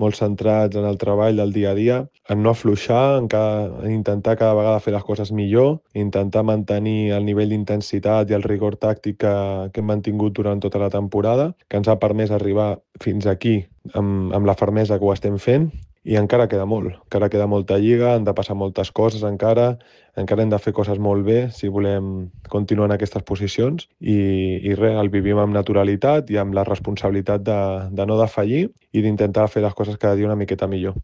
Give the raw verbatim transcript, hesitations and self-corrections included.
molt centrats en el treball del dia a dia, en no afluixar, en, cada, en intentar cada vegada fer les coses millor, intentar mantenir el nivell d'intensitat i el rigor tàctic que, que hem mantingut durant tota la temporada, que ens ha permès arribar fins aquí amb, amb la fermesa que ho estem fent, i encara queda molt, encara queda molta lliga, han de passar moltes coses encara, encara hem de fer coses molt bé si volem continuar en aquestes posicions i, i res, el vivim amb naturalitat i amb la responsabilitat de, de no defallir i d'intentar fer les coses cada dia una miqueta millor.